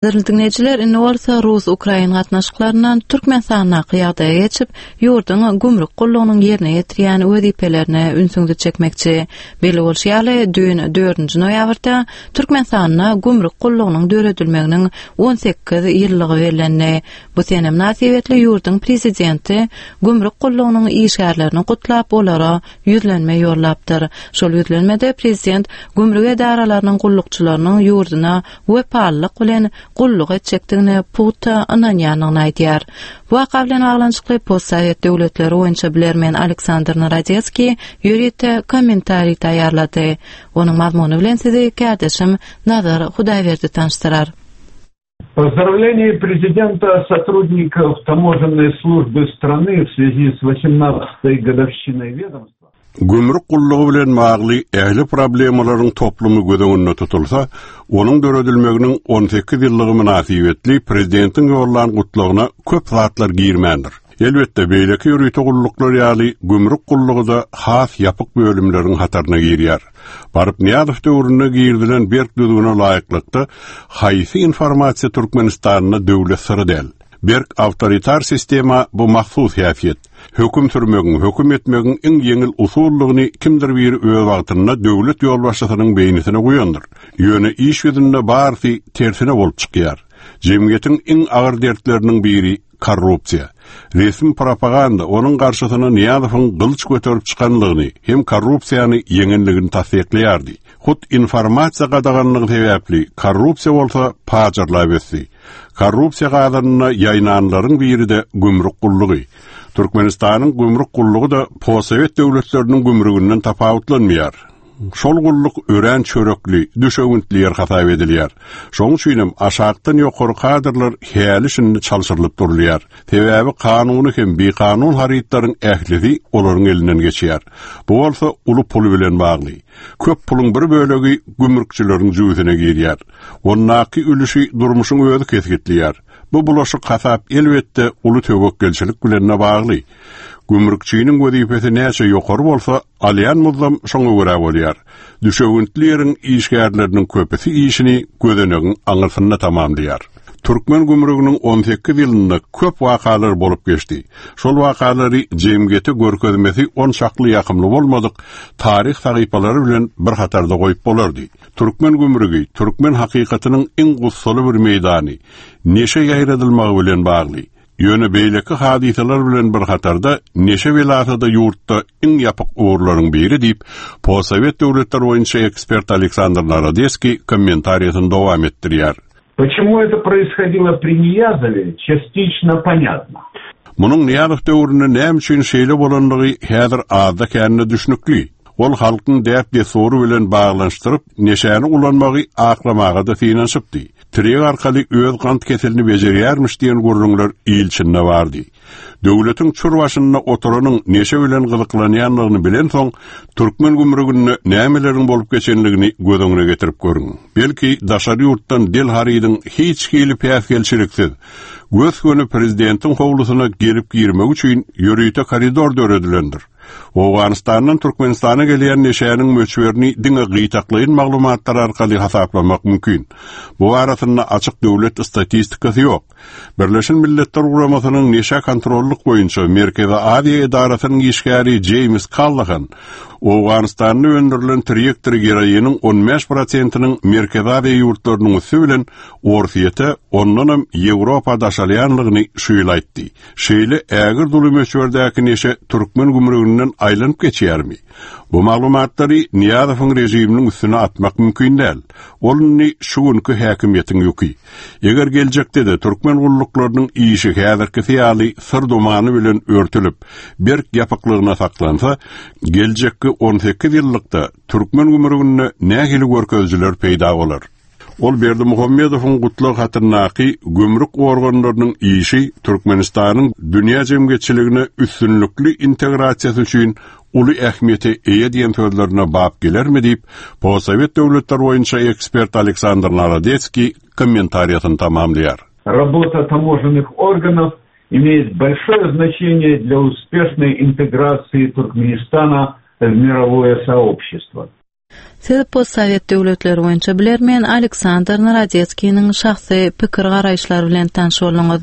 Gadyrly diňleýjiler, indi bolsa rus-ukrain gatnaşyklaryndan Türkmenistandaky ýagdaýa geçip, ýurduň gümrük gullugynyň ýerine ýetirýän wezipelerine ünsüňizi çekmekçi. Belli bolşy ýaly, düýn, dördünji noýabrda Türkmenistanda gümrük gullugynyň döredilmeginiň 18 ýyllygy bellendi. Bu sene mynasybetli ýurduň Prezidenti gümrük gullugynyň işgärlerini gutlap, olara ýüzlenme ýollapdyr. Şol ýüzlenmede prezident gümrük edaralarynyň gullukçylarynyň ýurduna wepalylyk bilen gulluk etjekdigine pugta ynanýandygyny aýdýar. Bu waka bilen baglanyşykly postsowet döwletleri boýunça bilermen Aleksandr Narodetskiý ýörite kommentariý taýýarlady. Onuň mazmuny bilen sizi kärdeşim Nazar Hudaýberdi tanyşdyrar. Поздравление президента сотрудников таможенной службы страны в связи с 18-й годовщиной ведомства. Gümrük gullugy bilen bagly ähli problemalaryň toplumy göz öňünde tutulsa, onuň döredilmeginiň 18 ýyllygy mynasybetli prezidentiň ýollan gutlagyna köp zatlar girmändir. Elbetde, beýleki ýörite gulluklar ýaly gümrük gullugy-da has ýapyk bölümleriň hataryna girýär. Baryp Nyýazow döwründe girizilen berk düzgüne laýyklykda, haýsy informasiýa Türkmenistanda döwlet syry däl? Berk awtoritar sistema bu mahsus häsiýet. Höküm sürmegiň, höküm etmegiň iň ýeňil usuldygyny kimdir biri öz wagtynda döwlet ýolbaşçysynyň beýnisine guýandyr. Ýöne iş ýüzünde barysy tersine bolup çykýar. Jemgyýetiň iň agyr dertleriniň biri korrupsiýa. Resmi propaganda onuň garşysyna Nyýazowyň gylyç göterip çykanlygyny hem korrupsiýany ýeňenligini tassyklaýardy. Hut informasiýa gadaganlygy sebäpli korrupsiýa bolsa pajarlap ösdi. Korrupsiýa gazanynda ýaýnanlaryň biri-de gümrük gullugy. Türkmenistanyň gümrük gullugy-da postsowet döwletleriniň gümrüginden tapawutlanmaýar. Şol gulluk örän çörekli, düşewüntli ýer hasap edilýär. Şonuň üçinem aşakdan ýokary kadrlar häli-şindi çalşyrylyp durulýar. Sebäbi kanuny hem bikanun harytlaryň ählisi olaryň elinden geçýär. Bu bolsa uly pul bilen bagly. Köp puluň bir bölegi gümrükçileriň jübüsine girýär. Ondaky ülüşi durmuşyň özi kesgitleýär. Bu bulaşyk hasap elbetde uly töwekgelçilik bilen-de bagly. Gümrükçiniň wezipesi näçe ýokary bolsa, alýan muzdam şoňa görä bolýar. Düşewüntli ýeriň işgärleriniň köpüsi işini gözenegiň aňyrsynda tamamlaýar. Türkmen gümrüginiň 18 ýylynda köp wakalar bolup geçdi. Şol wakalary jemgyýete görkezmesi onçakly ýakymly bolmadyk taryh sahypalary bilen bir hatarda goýup bolardy. Türkmen gümrügi türkmen hakykatynyň iň gussaly bir meýdany, neşe ýaýradylmagy bilen bagly. Ýöne beýleki hadysalar bilen bir hatarda neşe belasy-da ýurtda iň ýapyk ugurlaryň biri diýip, postsowet döwletler boýunça ekspert Aleksandr Narodeskiý kommentariýasyny dowam etdirýär. Почему это происходило при Ниязове, частично понятно. Munuň Nyýazow döwründe näme üçin şeýle bolandygy häzir azda-kände düşnükli. Ol halkyň däp-dessury bilen baglanyşdyryp, neşäni ulanmagy aklamaga-da synanyşypdy. Tirýek arkaly öz gant keselini bejerýärmiş diýen gürrüňler il içinde bardy. Döwletiň çür başynda oturanyň neşe bilen gyzyklanýandygyny bilensoň, türkmen gümrüginde nämeleriň bolup geçenligini göz öňüne getirip görüň. Belki, daşary ýurtdan del harydyň hiç hili päsgelçiliksiz, gös-göni prezidentiň howlusyna gelip girmegi üçin ýörite koridor döredilendir. Owganystandan Türkmenistana gelýän neşäniň möçberini diňe gytaklaýyn maglumatlar arkaly hasaplamak mümkin. Bu barasynda açyk döwlet statistikasy ýok. Birleşen Milletler Guramasynyň neşä kontrollyk boýunça Merkezi Aziýa edarasynyň işgäri Jeýms Kallahan Owganystanda öndürilen tirýekdir geroiniň 15 prosentiniň Merkezi Aziýa ýurtlarynyň üsti bilen Orsýete, ondanam Ýewropa daşalýanlygyny şu ýyl aýtdy. Şeýle ägirt uly möçberdäki neşe türkmen gümrüginden aýlanyp geçýärmi? Bu maglumatlary Nyýazowyň režiminiň üstüne atmak mümkin däl. Ol indi şu günki häkimiýetiň ýüki. Eger geljekde-de türkmen gulluklarynyň işi häzirkisi ýaly syr dumany bilen örtülip, berk ýapyklygyna saklansa, geljekki 18 ýyllykda türkmen gümrüginde nähili görkezijiler peýda bolar? Ol Berdimuhamedowyň gutlag hatyndaky gümrük organlarynyň işi Türkmenistanyň dünýä jemgyýetçiligine üstünlikli integrasiýasy üçin uly ähmiýete eýe diýen sözlerine bap gelermi diýip, postsowet döwletler boýunça ekspert Aleksandr Narodetskiý kommentariýasyny tamamlaýar. Работа таможенных органов имеет большое значение для успешной интеграции Туркменистана в мировое сообщество. Siz postsowet döwletleri boýunça bilermen Aleksandr Narodetskiniň şahsy pikir-garaýyşlary bilen tanyş bolduňyz.